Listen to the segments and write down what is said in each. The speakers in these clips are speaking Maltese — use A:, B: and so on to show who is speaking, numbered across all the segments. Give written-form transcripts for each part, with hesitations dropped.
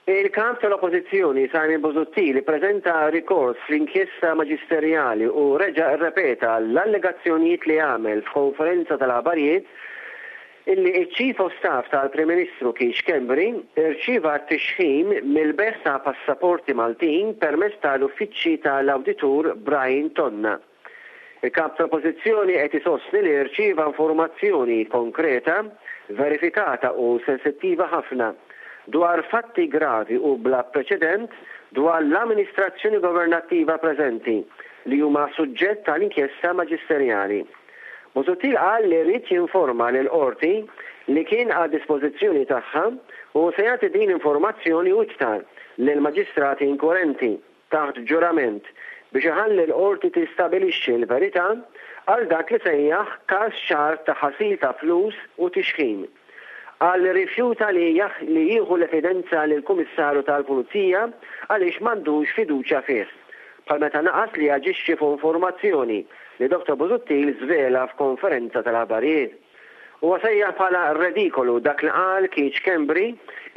A: Il-Kap tal-Oppożizzjoni Simon Busuttil ippreżenta rikors fl-inkjesta maġisterjali u reġa' rrepeta l-allegazzjonijiet li għamel f'konferenza tal-aħbarijiet illi ċ-Chief of Staff tal-Prim Ministru Keith Schembri rċieva t-tixħim mill-bejgħ ta' passaporti Maltin permezz tal-uffiċċji tal-Awditur Brian Tonna. Il-Kap tal-Oppożizzjoni qed isostni li rċieva informazzjoni konkreta, verifikata u sensittiva ħafna dwar fatti gravi u bla preċedent dwar l-amministrazzjoni governattiva preżenti li huma suġġett tal-inkjesta maġisterjali. Busuttil qal li ried jinforma lill-Qorti li kien għad-dispożizzjoni tagħha u se jagħti din l-informazzjoni u iktar lill-maġistrati inkwirenti, taħt ġurament, biex iħalli l-Qorti tistabilixxi l-verità għal dak li sejjaħ każ ċar ta' ħasil ta' flus u tixħim. Qal li rrifjuta li li jieħu l-evidenza lill-Kummissarju tal-Pulizija għaliex m'għandux fiduċja fih, bħal meta naqas li jaġixxi fuq informazzjoni li Dottor Busuttil żvela f'konferenza tal-aħbarijiet. Huwa sejjaħ bħala redikolu dak li qal Keith Schembri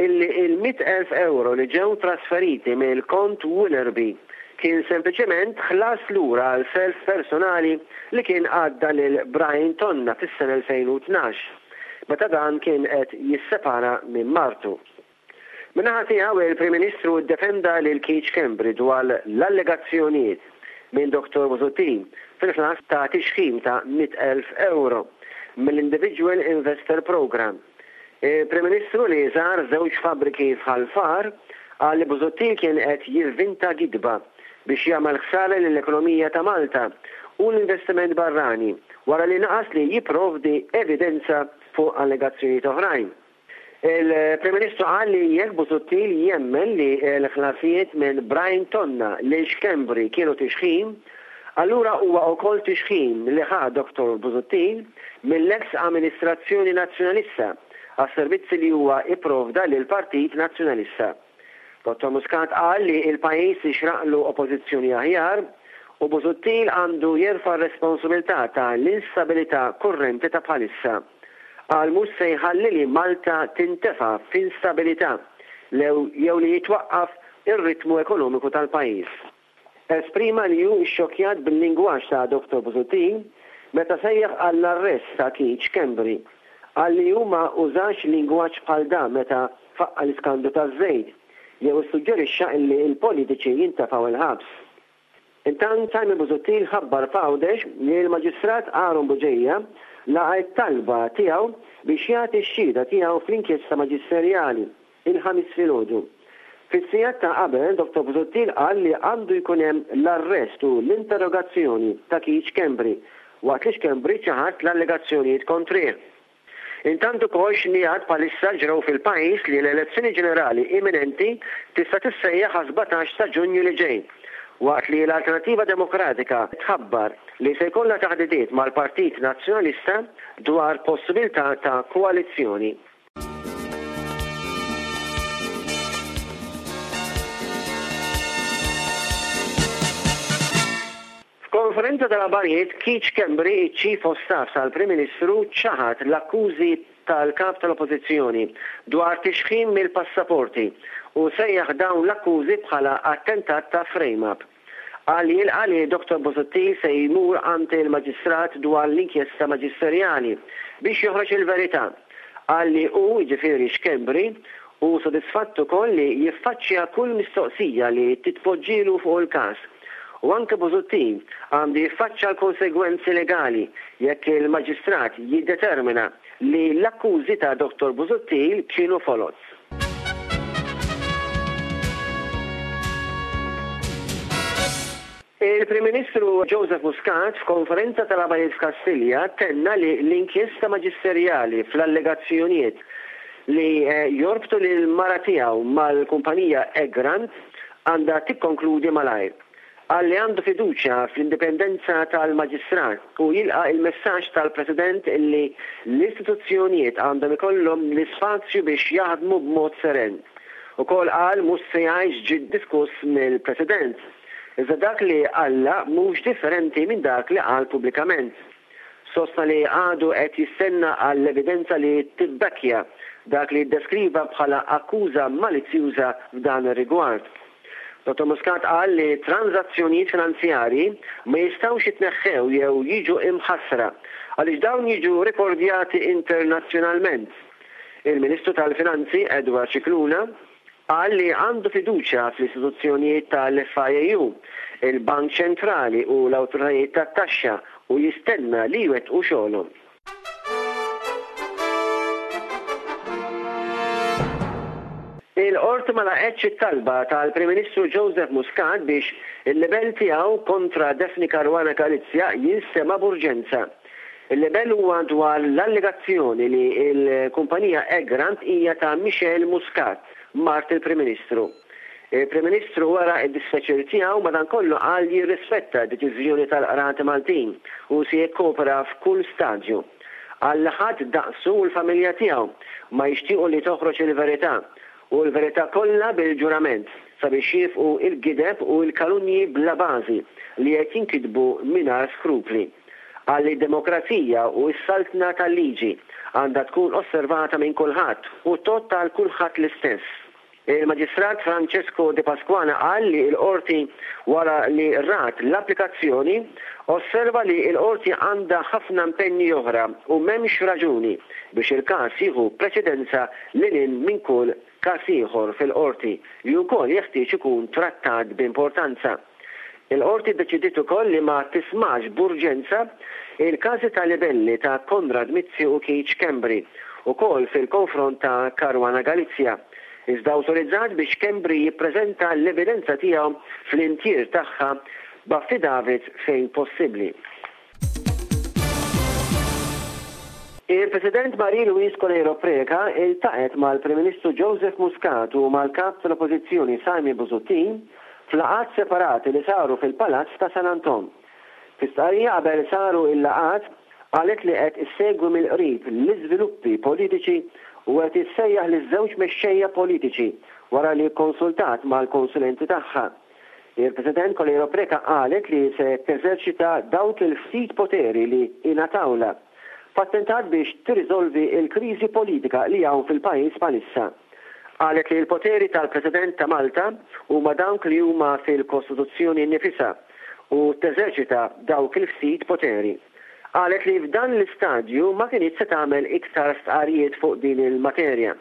A: illi il-100,000 ewro li ġew trasferiti mill-kont Willerby kien sempliċement ħlas lura għal self personali li kien għadda lil Brian Tonna fis-sena 2012 meta dan kien qed jissepara minn martu. Min-naħa tiegħu, il-Prim Ministru ddefenda lil Keith Schembri dwar l-allegazzjonijiet minn Dottor Busuttil fil-ħlas ta' tixħim ta' 100,000 ewro mill-Individual Investor Programme. Il-Prim Ministru li żar żewġ fabbriki f'Ħal Far qal li Busuttil kien qed jivvinta gidba biex jagħmel ħsara lill-ekonomija ta' Malta u l-investiment barrani wara li naqas li jipprovdi evidenza fuq allegazzjonijiet oħrajn. Il-Prim Ministru qal li jekk Busuttil jemmen li l-ħlasijiet minn Brian Tonna lil Schembri kienu tixħim, allura huwa ukoll tixħim li ħa Dottor Busuttil mill-eks amministrazzjoni Nazzjonalista għas-servizzi li huwa ipprovda lill-Partit Nazzjonalista. Dottor Muscat qal li l-pajjiż jixraqlu Oppożizzjoni aħjar u Busuttil għandu jerfa' r-responsabilità ta' l-instabilità kurrenti ta' bħalissa. Qal mhux se jħalli li Malta tintefa' f'instabilità lew jew li jitwaqqaf ir-ritmu ekonomiku tal-pajjiż. Esprima li hu xxokkjat bil-lingwaġġ ta' Dottor Busuttil meta sejjaħ għall-arrest ta' Keith Schembri. Qal li hu ma użax lingwaġġ bħal dan meta faqqa' l-iskandlu taż-żejt jew issuġġerixxa illi l-politiċi jintefgħu l-ħabs. Intant Simon Busuttil ħabbar f'Għawdex li l-Maġistrat Aaron Bugeja laqa' t-talba tiegħu biex jagħti x-xhieda tiegħu fl-inkjesta maġisterjali, il-Ħamis filgħodu. Fis-sigħat ta' qabel, Dottor Busuttil qal li għandu jkun hemm l-arrest u l-interrogazzjoni ta' Keith Schembri, waqt li Schembri ċaħad l-allegazzjonijiet kontrih. Intant ukoll xnigħat bħalissa ġrew fil-pajjiż li l-elezzjoni ġenerali imminenti tista' tissejjaħ għas-17 ta' Ġunju li ġej, waqt li l-Alternattiva Demokratika tħabbar li se jkollha taħdidiet mal-Partit Nazzjonalista dwar possibilità ta' koalizzjoni. F'konferenza tal-aħbarijiet, Keith Schembri, iċ-Chief of Staff tal-Prim Ministru, ċaħad l-akkużi tal-Kap tal-Oppożizzjoni dwar tixħim mill-passaporti u sejjaħ dawn l-akkużi bħala attentat ta' frame-up. Qal li jilqa' li Dottor Busuttil se jmur għand il-Maġistrat dwar l-inkjesta maġisterjali biex joħroġ il-verità. Qal li hu, jiġifieri Schembri, hu sodisfatt ukoll li jiffaċċja kull mistoqsija li titpoġġielu fuq il-każ. U anke Busuttil għandu jiffaċċa l-konsegwenzi legali jekk il-Maġistrat jiddetermina li l-akkużi ta' Dottor Busuttil kienu foloz. Il-Prim Ministru Joseph Muscat f'konferenza tal-aħbarijiet f'Kastilja tenna li l-inkjesta maġisterjali fl-allegazzjonijiet li jorbtu lill-mara tiegħu mal-kumpanija Egrant għandha tikkonkludi malajr. Qal li għandu fiduċja fl-indipendenza tal-Maġistrat u jilqa' il-messaġġ tal-President li l-istituzzjonijiet għandhom ikollhom l-ispazju biex jaħdmu b'mod seren. Ukoll qal mhux se jgħid x'ġie diskuss mill-President. Iżda dak li qalla mhux differenti minn dak li qal pubblikament. Sostna li għadu qed jistenna għall-evidenza li tibbekkja dak li ddeskriva bħala akkuża malizzjuża f'dan ir-rigward. Dottor Muscat qal li tranżazzjonijiet finanzjarji ma jistgħux jitneħħew jew jiġu imħassra għaliex dawn jiġu rekordjati internazzjonalment. Il-Ministru tal-Finanzi Edward Scicluna qal li għandu fiduċja fl-istituzzjonijiet tal-FIAU, il-Bank Ċentrali u l-awtoritajiet tat-taxxa u jistenna li jwettqu xogħolhom. Il-Qorti ma laqgħetx it-talba tal-Prim Ministru Joseph Muscat biex il-libell tiegħu kontra Daphne Caruana Galizia jinstema' b'urġenza. Il-libell huwa dwar l-allegazzjoni li l-kumpanija Egrant hija ta' Michelle Muscat, mart il-Prim Ministru. Il-Prim Ministru wera d-dispjaċir tiegħu madankollu qal li jirrispetta d-deċiżjoni tal-Qrati Maltin u se jikkopera f'kull stadju. Qal li ħadd daqsu u l-familja tiegħu ma jixtiequ li toħroġ il-verità u l-verità kollha bil-ġurament sabiex jiefqu l-gideb u l-kalunji bla bażi li qed jinkitbu mingħajr skrupli. Qal li d-demokrazija u s-saltna tal-liġi għandha tkun osservata minn kulħadd u tgħodd għal kulħadd l-istess. Il-Maġistrat Francesco Depasquale qal li l-Qorti wara li rat l-applikazzjoni, osserva li l-Qorti għandha ħafna impenji oħra u m'hemmx raġuni biex il-każ jieħu preċedenza lil hinn minn kull każ ieħor fil-Qorti li wkoll jeħtieġ ikun trattat b'importanza. Il-Qorti ddeċidiet ukoll li ma tismax b'urġenza il-każi ta' libelli ta' Konrad Mizzi u Keith Schembri, ukoll fil-konfront ta' Caruana Galizia, iżda awtorizzat biex Schembri jippreżenta l-evidenza tiegħu fl-intier tagħha b'affidavits fejn possibbli. Il-President Marie Louise Coleiro Preca iltaqgħet mal-Prim Ministru Joseph Muscat u mal-Kap tal-Oppożizzjoni Simon Busuttil f'laqgħat separati li saru fil-Palazz ta' San Anton. Fi stqarrija qabel saru l-laqgħat qalet li qed issegwi mill-qrib l-iżviluppi politiċi u qed issejjaħ liż-żewġ mexxejja politiċi wara li kkonsultat mal-konsulenti tagħha. Il-President Coleiro Preca qalet li se teżerċita dawk il-ftit poteri li ingħatawlha f'attentat biex tirriżolvi l-kriżi politika li hawn fil-pajjiż bħalissa. Qalet li l-poteri tal-President ta' Malta huma dawk li huma fil-Kostituzzjoni nnifisha u teżerċita dawk il-ftit poteri. Qalet li f'dan l-istadju ma kinitx se tagħmel iktar stqarrijiet fuq din il-materja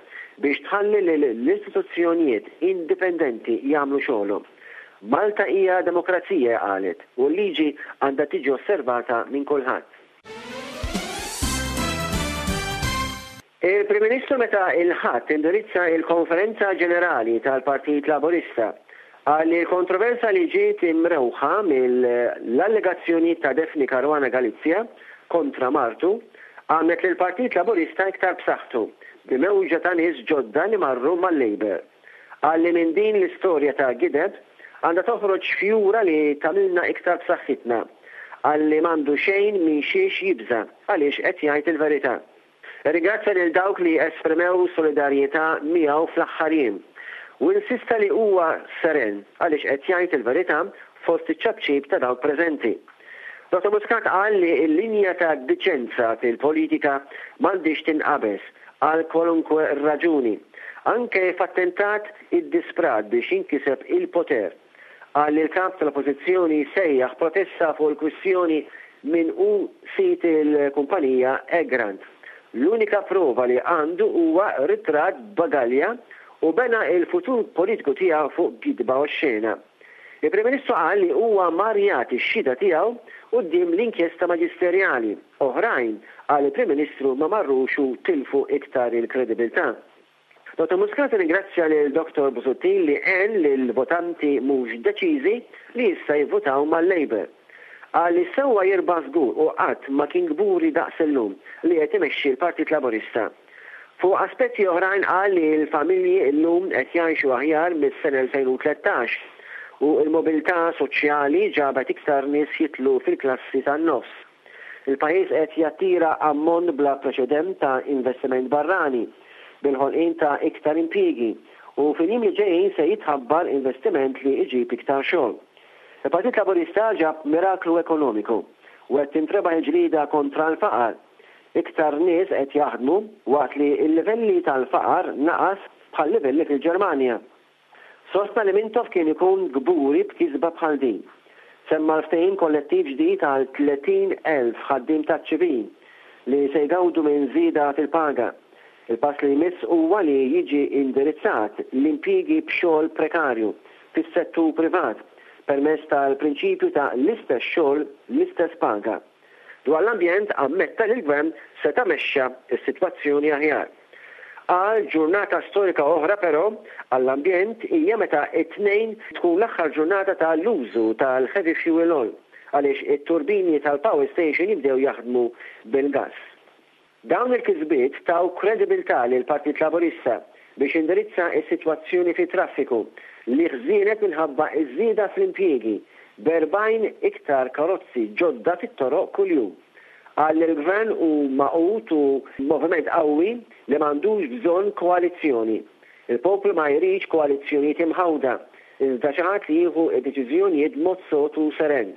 A: biex tħalli lill-istituzzjonijiet indipendenti jagħmlu xogħolhom. Malta hija demokrazija, qalet, u l-liġi għandha tiġi osservata minn kulħadd. Il-Prim Ministru meta il-Ħadd indirizza il-Konferenza Ġenerali tal-Partit Laburista qal li l-kontroversa li ġiet imrewħa mill-allegazzjonijiet ta' Daphne Caruana Galizia kontra martu għamlet lill-Partit Laburista iktar b'saħħtu b'mewġa ta' nies ġodda li marru mal-Labour. Qal li minn din l-istorja ta' gideb għandha toħroġ fjura li tagħmilna iktar b'saħħitna. Qal li m'għandu xejn minn xiex jibża' għaliex qed jgħid il-verità. Irringrazzja lil dawk li esprimew solidarjetà miegħu fl-aħħar jiem u insista li huwa seren għaliex qed jgħid il-verità fost iċ-ċapċip ta' dawk preżenti. Dottor Muscat qal li l-linja ta' diċenza fil-politika m'għandhiex tinqabeż għal kwalunkwe raġuni, anke f'attentat iddisprat biex jinkiseb il-poter. Qal li l-Kap tal-Oppożizzjoni sejjaħ protesta fuq il-kwistjoni min hu sid il-kumpanija Egrant. L-unika prova li għandu huwa ritratt b'bagalja u bena l-futur politiku tiegħu fuq gidba oxxena. Il-Prim Ministru qal li huwa mar jagħti x-xhieda tiegħu quddiem l-inkjesta maġisterjali. Oħrajn, qal il-Prim Ministru, ma marrux u tilfu iktar il-kredibilità. Dottor Muscat irringrazzja lil Dottor Busuttil li għen lill-votanti mhux deċiżi li issa jivvutaw mal-Labour. Qal li sewwa jirbaħ żgur u qatt ma kien kburi daqs illum li qed imexxi l-Partit Laburista. Fuq aspetti oħrajn qal li l-familji llum qed jgħixu aħjar mis-sena 2013 u l-mobilità soċjali ġabet iktar nies jidħlu fil-klassi tan-nofs. Il-pajjiż qed jattira ammont bla preċedent ta' investiment barrani, bil-ħolqien ta' iktar impjiegi, u fil-jiem li ġejjin se jitħabbar investiment li jġib iktar xogħol. Il-Partit Laburista ġab miraklu ekonomiku u qed tintrebaħ il-ġlieda kontra l-faqar. Iktar nies qed jaħdmu waqt li l-livelli tal-faqar naqas bħal-livelli fil-Ġermanja. Sostna li Mintoff kien ikun kburi b'kisba bħal din. Semma l-ftehim kollettiv ġdid għal 30,000 ħaddiem taċ-ċivil li se jgawdu minn żieda fil-paga. Il-pass li jmiss huwa li jiġi indirizzat l-impjiegi b'xogħol prekarju fis-settur privat permezz tal-prinċipju ta' l-istess xogħol l-istess paga. Dwar l-ambjent ammetta li l-Gvern seta' mexxa s-sitwazzjoni aħjar. Qal ġurnata storika oħra però għall-ambjent hija meta t-Tnejn tkun l-aħħar ġurnata ta' l-użu tal-heavy fuel oil għaliex it-turbini tal-power station jibdew jaħdmu bil-gass. Dawn il-kisbiet taw kredibilità lill-Partit Laburista biex jindirizza s-sitwazzjoni fit-traffiku li ħżienet minħabba ż-żieda fl-impjiegi b'erbgħin iktar karozzi ġodda fit-toroq kuljum. Qal li l-Gvern hu magħqud u moviment qawwi li m'għandux bżonn koalizzjoni. Il-poplu ma jridx koalizzjonijiet imħawda, iżda xi ħadd li jieħu d-deċiżjonijiet b'mod sod u seren.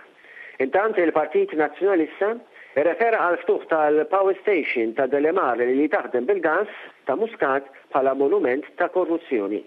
A: Intant il-Partit Nazzjonalista rrefera għall-ftuħ tal-power station ta' Delimar li taħdem bil-gass ta' Muscat bħala monument ta' korruzzjoni.